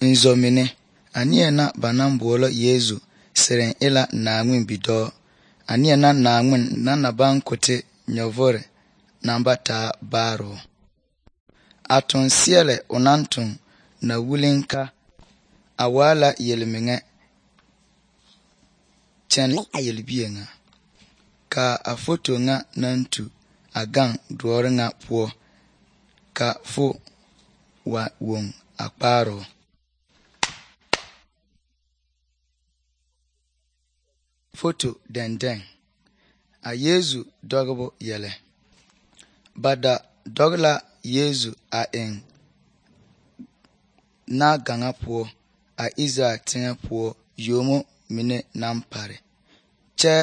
nzomine anie na banan boolo Yesu siren ila naangwin bidoo anie na naangwin na ban kote nyovore namba taa baaro atun siele onantun na wulinka awala yelminge chen ayelbienga ka a foto nga nantu agang duore nga puo ka fo wa won akparo foto denden a Yesu dogbo yele bada dogla Yesu a en na ganga puo a Israel tinga puo yomo mine nampare che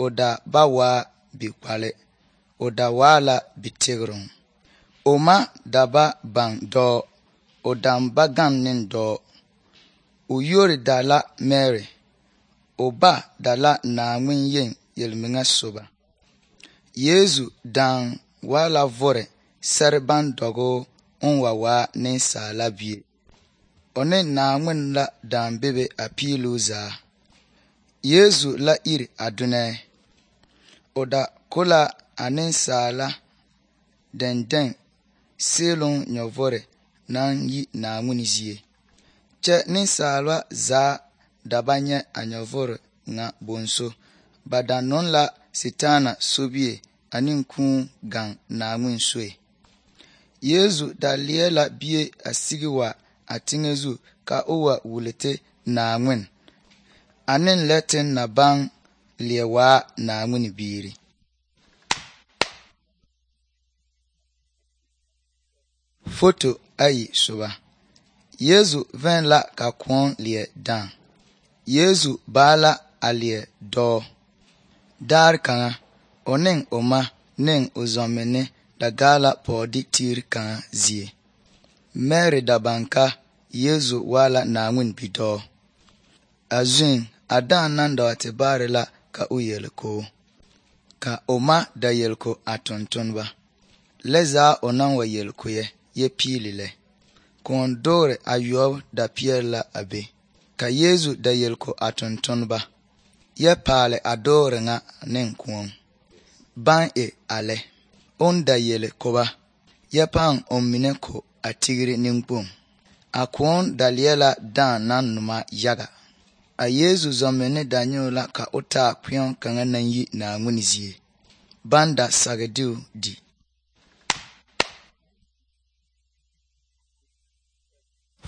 oda bawa bikwale oda wala bitigrun oma daba bang do odam bagan nin do uyori dala Mary oba dala naangwin yen yelminga soba Yesu dan wala vore serban dogo onwawa nin sala bie one naangwin la dan bebe apiluza Yesu la iri adune oda kola anin sala denden selon nyovore nan yi naangwin zie che nin sala za dabanye anyovore nga bonso badanon la sitana sobie anin kun gang naangwin soe Yesu daliela bie asigiwa atingezu ka owa wulete naangwin anin letin na bang liewa naangwin biiri foto ayi soba Yesu ven la ka kwon lie dan Yesu bala alie do dar kanga onen oma nen ozomene da gala podi tir kanga zie Mary dabanka Yesu wala naangwin bido azun adan nanda watibare la ka uyelko ka oma da yelko atontonba leza onan wa yelko ye pilile kondore ayob da pierla abe ka Yesu da yelko atontonba ye pale adore nga nen kwon ban ale on da yele koba ye pan omine ko atigiri ninkpon akwon daliela dan nanuma yaga a Yesu zomene danyola ka ota kwion kanga nan yi na ngunizie banda sagediu di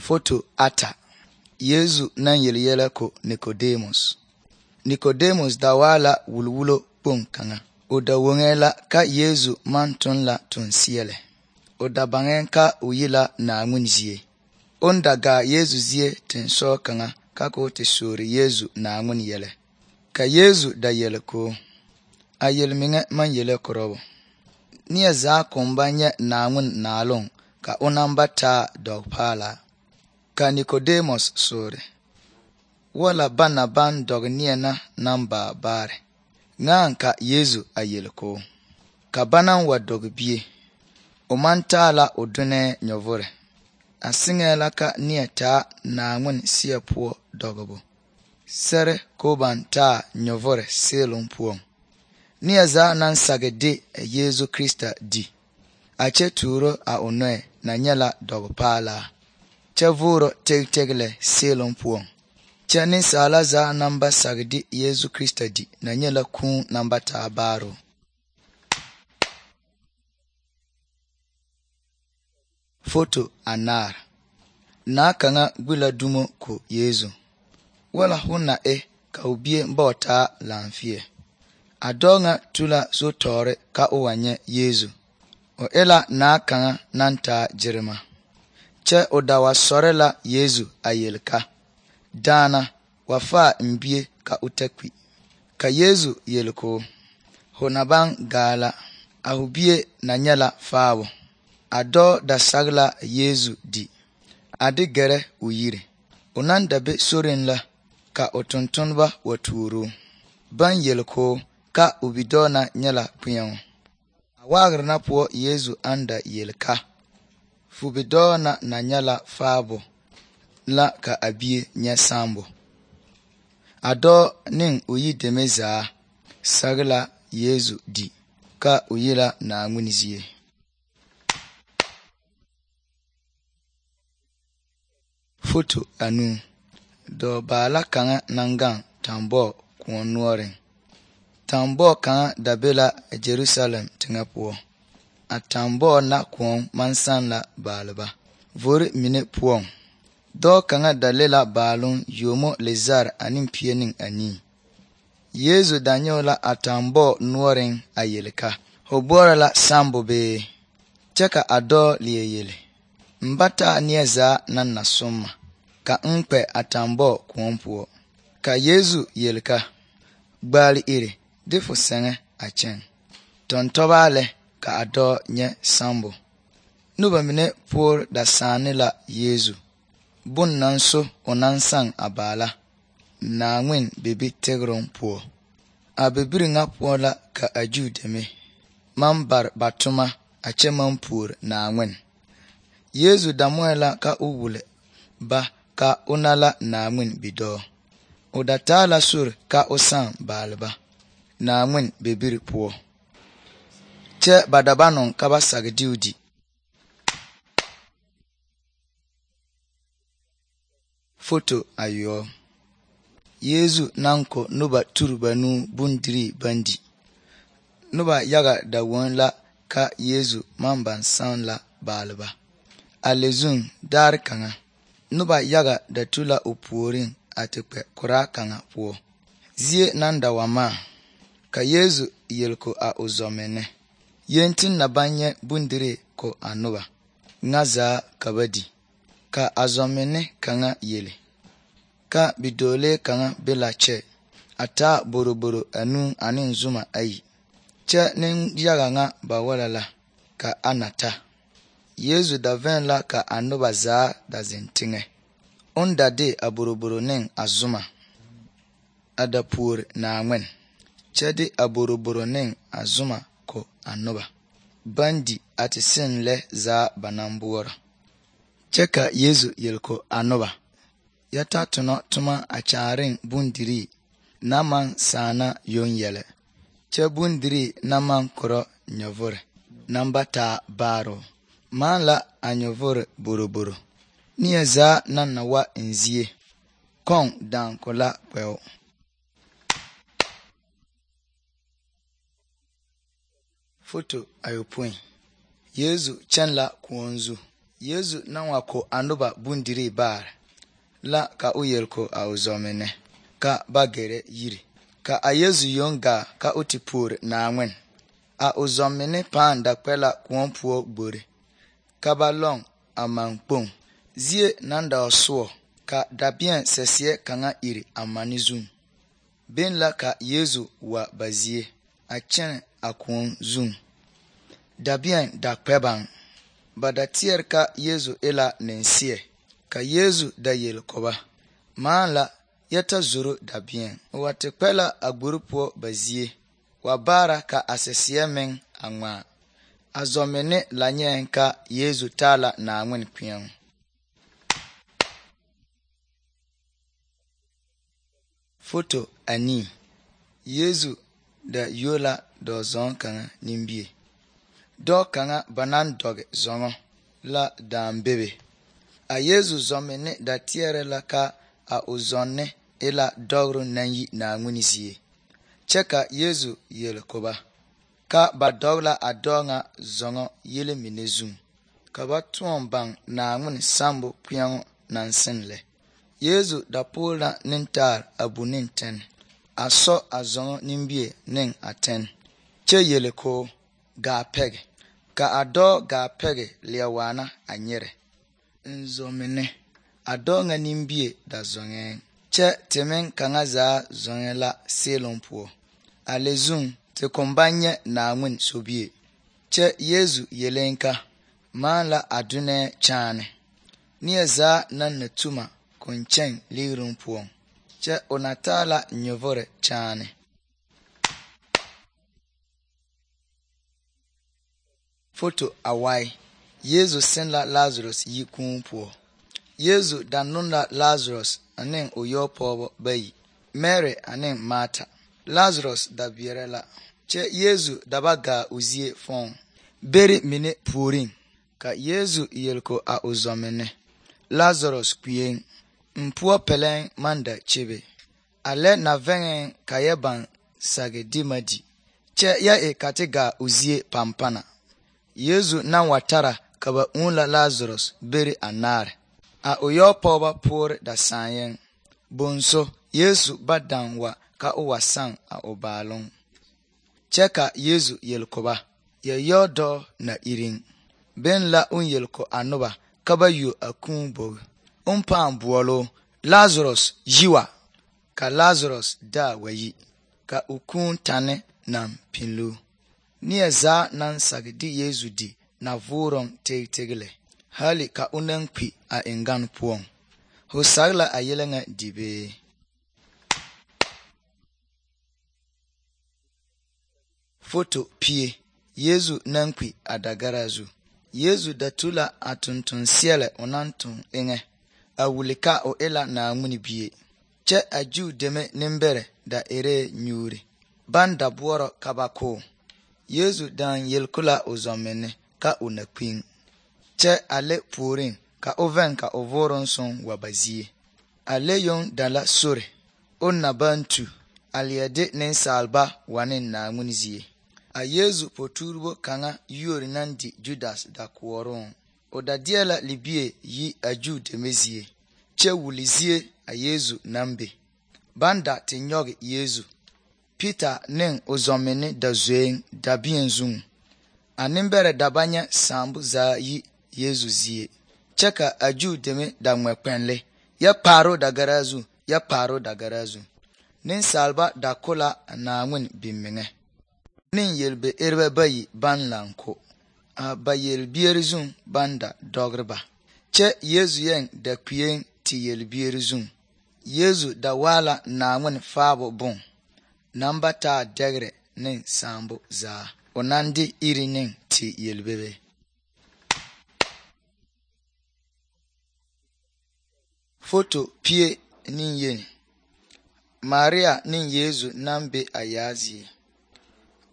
foto ata Yesu nan yele ko Nicodemus dawala wulwulo pon kanga oda wongela ka Yesu mantun la tunsiele oda bangen ka uyila na ngunizie ondaga Yesu zie tenso kanga kako te sori Yesu na ngun yele ka Yesu da yele ko ayel minge man yele korobo niya za kombanye na ngun nalong ka onambata dogpala ka Nicodemus sori wala bana ban dog niya na namba bare ngan ka Yesu ayele ko ka banan wa dog bie omantala odune nyovore asingela ka nieta na ngun siepo dogobo sere ko banta nyovore selon puon niaza nan sagede Yesu Krista di ache turo a onoe na nyala dogpala chavuro tegtegle selon puon chani sala za namba sagede Yesu Krista di na nyala kun namba tabaro foto anar na kanga gwila dumo ko Yesu wala huna ka ubie mbota lamfie adonga tula so tore ka owanye Yesu o ela na kanga nanta jirima che odawa sorela Yesu ayelka dana wafa mbie ka utekwi ka Yesu yelko honabang gala ahubie na nyala fawo ado da sagla Yesu di adi gere uyire onan dabe sorin la ka otuntunba waturu ban yelko ka ubidona nyala puyan awagrna po Yesu anda yelka fubidona na nyala fabo la ka a bie nyɛ sambo. A dɔɔ ne o yideme zaa sage la Yesu di ka o yi la Naaŋmen zie. Foto 2. Dɔɔbaala kaŋa naŋ gaŋ tambɔɔ kõɔ noɔreŋ. Tambɔɔ kaŋa da be la Jerusalem teŋɛ poɔ. A tambɔɔ na kõɔ maŋ saŋ la baaleba vori mine poɔŋ. Dɔɔ kaŋa da le la baaloŋ yomo lezare ane pie ne anii. Yesu da nyɔge la a tambɔɔ noɔreŋ a yele ka ho boɔrɔ la sambo bee? Kyɛ ka a dɔɔ leɛ yele, n ba taa neɛ zaa naŋ na somma ka n kpɛ a tambɔɔ kõɔ poɔ. Ka Yesu yele ka gbaale iri de fo sɛŋɛ a kyɛŋ. Tɔntɔbaa lɛ ka a dɔɔ nyɛ sambo. Noba mine poore da saane la Yesu bon naŋ so o naŋ saŋ a baala Naaŋmen bibi tegeroŋ poɔ. A bibiri ŋa poɔ la ka a Juu deme maŋ bare ba toma a kyɛ maŋ puori Naaŋmen. Yesu da moɛ la ka o wule ba ka o na la Naaŋmen bidɔɔ. O da taa la sori ka o saŋ baaleba Naaŋmen bibiri poɔ. Kyɛ ba da ba noŋ ka ba sage de o di. Foto ayɔɔ. Yesu naŋ ko noba turi banuu bondirii baŋ di. Noba yaga da woŋ la ka Yesu maŋ baŋ saŋ la baaleba. A le zuŋ daare kaŋa, noba yaga da tu la o puoriŋ a te kpɛ koraa kaŋa poɔ. Zie naŋ da wa maa, ka Yesu yele ko a o zɔmenne. Yenti na baŋ nyɛ bondirii ko a noba ŋa zaa ka ba di. Ka a zɔmenne kaŋa yele ka bidɔɔlee kaŋa be la kyɛ a taa boroboro anuu ane zuma ayi. Kyɛ nenyaga ŋa ba wala la ka a na ta. Yesu da vɛŋ la ka a noba zaa da zeŋ teŋɛ. On da de a boroboro ne a zuma a da puori Naaŋmen, kyɛ de a boroboro ne a zuma ko a noba baŋ di a te seŋ lɛ zaa ba naŋ boɔrɔ. Kyɛ ka Yesu yele ko a noba, ya ta tonɔ toma a kyaareŋ bondirii na maŋ saana yoŋ yɛlɛ, kyɛ bondirii na maŋ korɔ nyɔvore naŋ ba taa baaroo. Maa la a nyɔvore boroboro. Neɛ zaa naŋ na wa n zie, kɔŋ daŋ ko la kpɛo. Foto ayopõi. Yesu kyɛn la kõɔ zu. Yesu naŋ wa ko a noba bondirii baare la ka o yele ko a o zɔmenne ka ba gɛrɛ yiri. Ka a Yesu yoŋ gaa ka o te puori Naaŋmen. A o zɔmenne pãã da kpɛ la kõɔ poɔ gbori ka ba lɔŋ a man kpoŋ. Zie naŋ da wa soɔ ka dabeɛ sɛseɛ kaŋa iri a mane zuŋ. Beŋ la ka Yesu wa ba zie a kyɛnɛ a kõɔ zuŋ. Dabeɛ da kpɛ baŋ. Ba da teɛre ka Yesu e la nenseɛ. Ka Yesu da yele ko ba, maa la yɛ ta zoro dabeɛ. O wa te kpɛ la a gbori poɔ ba zie wa baara ka a sɛseɛ meŋ a ŋmaa. A zɔmenne la nyɛɛŋ ka Yesu taa la Naaŋmen kpeɛŋ. Foto 2. Yesu da yuo la dɔɔ-zɔŋ kaŋa nimbie. Dɔɔ kaŋa ba naŋ dɔge zɔŋɔ la dãã bebe. A Yesu zɔmenne da teɛrɛ la ka a o zɔnne e la dɔgro naŋ yi Naaŋmen zie. Kyɛ ka Yesu yele ko ba ka ba dɔge la a dɔɔ ŋa zɔŋɔ yele mine zuŋ ka ba tõɔ baŋ Naaŋmen sambo kpeɛŋo naŋ seŋ lɛ. Yesu da poore la nentaare a bu ne tɛne a sɔ a zɔŋɔ nimbie ne a tɛne kyɛ yele ko gaa pɛge. Ka a dɔɔ gaa pɛge leɛ waana a nyɛrɛ. N zɔmenne, a dɔɔ ŋa nimbie da zɔŋɛɛŋ kyɛ te meŋ kaŋa zaa zɔŋɛɛ la seeloŋ poɔ. A le zuŋ te kɔŋ baŋ nyɛ Naaŋmen sobie. Kyɛ Yesu yeleŋ ka maa la a dunɛɛ kyaane. Neɛ zaa naŋ na tuma kɔŋ kyɛŋ ligeroŋ poɔŋ. Kyɛ o na taa la nyɔvore kyaane. Foto awai. Yesu seŋ la Lazarus yi kūū poɔ. Yesu da non la Lazarus ane o yɔ pɔgeba bayi, Mary ane Martha. Lazarus da beɛrɛ la, kyɛ Yesu da ba gaa o zie fɔɔŋ. Beri mine puoriŋ, ka Yesu yelko a o zɔmenne. Lazarus kpeeŋ, n poɔ pɛlɛŋ maŋ da kyebe. A lɛ na vɛŋɛɛŋ ka yɛ baŋ sage di ma di, kyɛ yɛ e ka te gaa o zie pampana. Yesu naŋ wa tara ka ba ūū la Lazarus beri anaare. A o yɔ pɔgeba poore da sããyɛŋ. Bonso Yesu ba daŋ wa ka o wa saŋ a o baaloŋ. Kyɛ ka Yesu yelko ba, yɛ yɔ dɔɔ na iriŋ. Ben la un yelko a noba ka ba yuo a kūū bogi. Un pãã boɔloo, Lazarus yi wa, ka Lazarus daa wa yi, ka o kūū tane naŋ pinloo. Neɛ zaa naŋ sage di Yesu di na voorɔŋ teg lɛ, hali ka o naŋ kpi a eŋgane poɔŋ. Ho sage la a yɛlɛ ŋa di bee? Foto pie, Yesu naŋ kpi a dagara zu. Yesu da tu la a tontonseɛlɛ o naŋ toŋ eŋɛ, a wuli ka o e la Naawuni bie. Kyɛ a Juu deme nembɛrɛ da eree nyuuri, baŋ da boɔrɔ ka ba koo. Yesu daŋ yelko la o zɔmenne ka o na kpiŋ. Kyɛ a lɛ puoriŋ ka o vɛŋ ka o voorɔŋ soŋ wa ba zie. A lɛ yoŋ da la sore, o na baŋ tu, a leɛ de nensaalba wa ne Naawuni zie. A Yesu potuuribo kaŋa yuori naŋ di Judas da koɔrooŋ. O da deɛ la libie yi a Juu deme zie, kyɛ wuli zie a Yesu naŋ be. Baŋ da te nyɔge Yesu. Peter ne o zɔmenne da zoeŋ dabien zuŋ. A nembɛrɛ da ba nyɛ saambo zaa yi Yesu zie, kyɛ ka a Juu deme da ŋmɛ kpɛnle, yɛ kpaaroo dagara zu, yɛ kpaaroo dagara zu. Nensaalba da ko la a Naawuni bimeŋɛ. Neŋ yelbe erebɛ bayi baŋ laŋ ko. A ba yelbieri zuŋ baŋ da dɔgere ba. Kyɛ Yesu yɛŋ da kpeeŋ te yelbieri zuŋ. Yesu da waa la Naawuni faabo boŋ, naŋ ba taa dɛgere ne saambo zaa. O naŋ de iri ne te yelbebe. Foto pie ne yeni, Maria ne Yesu naŋ be a yaa zie.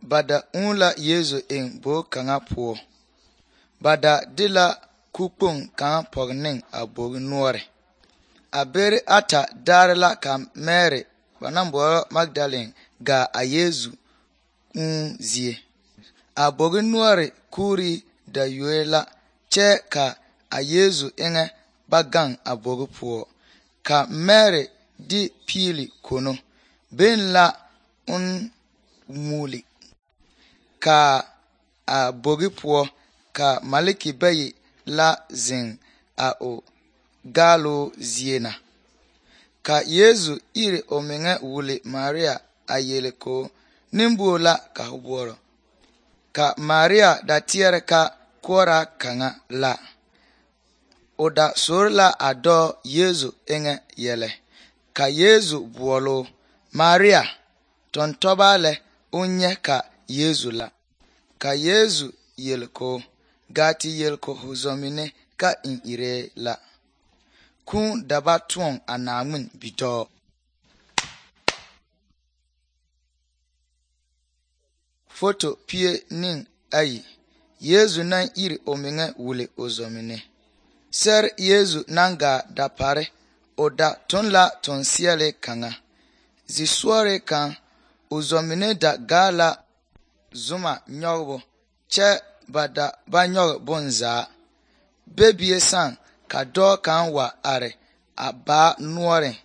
Ba da ūū la Yesu eŋ bogi kaŋa poɔ. Ba da de la kukpoŋ kaŋa pɔge ne a bogi noɔre. A beri ata daare la ka Mary, ba naŋ boɔrɔ Magdalene, gaa a Yesu ūū zie. A bogi noɔre kuuri da yoe la, kyɛ ka a Yesu eŋɛ ba gaŋ a bogi poɔ. Ka Mary de piili kono, ben la un muuli. Ka a bogi poɔ, ka maleki bayi la zeŋ a o gaaloo zie na. Ka Yesu iri o meŋɛ wuli Maria a yele ko nembuo la ka ho boɔrɔ. Ka Maria da teɛrɛ ka koɔraa kaŋa la. O da sore la a dɔɔ Yesu eŋɛ yɛlɛ. Ka Yesu boɔloo, Maria, tɔntɔbaa lɛ o nyɛ ka Yesu la. Ka Yesu yelko, gaa te yelko ho zɔmine ka n iree la. Kūū da ba toɔŋ a Naawuni bidɔɔ. Foto pie ne ayi, Yesu naŋ iri o meŋɛ wuli o zɔmine. Sɛre Yesu naŋ gaa da pare, o da toŋ la tonseɛle kaŋa. Zisɔɔre kaŋ, o zɔmine da gaa la zuma nyɔgebo, kyɛ ba da ba nyɔge bonzaa. Bebie sãã ka dɔɔ kaŋ wa are a baa noɔreŋ,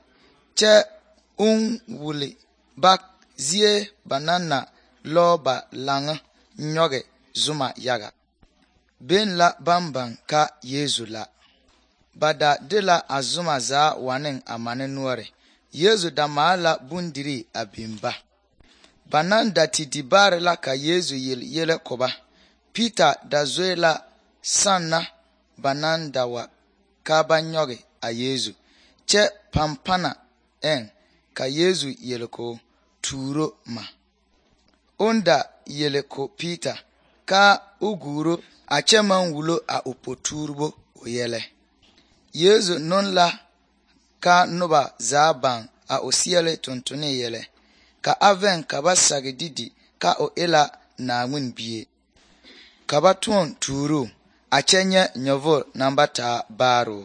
kyɛ un wuli ba zie ba naŋ na lɔɔ ba laŋa nyɔge zuma yaga. Ben la baŋ baŋ ka Yesu la. Ba da de la a zuma zaa wa ne a mane noɔre. Yesu da maale la bondirii a biŋ ba. Ba naŋ da te di baare la ka Yesu yele yɛlɛ ko ba. Peter da zoe la sanna ba naŋ da wa ka ba nyɔge a Yesu, kyɛ pampana eŋ ka Yesu yele ko tuuro ma. On da yele ko Peter ka o guuro a kyɛ maŋ wulo a o potuuribo o yɛlɛ. Yesu non la ka noba zaa baŋ a o seɛle tontone yɛlɛ ka a veŋ ka ba sage didi ka o e la Naawuni bie ka ba toɔ tuuro a kyɛ nyɛ nyɔvoro naŋ ba taa baaroo.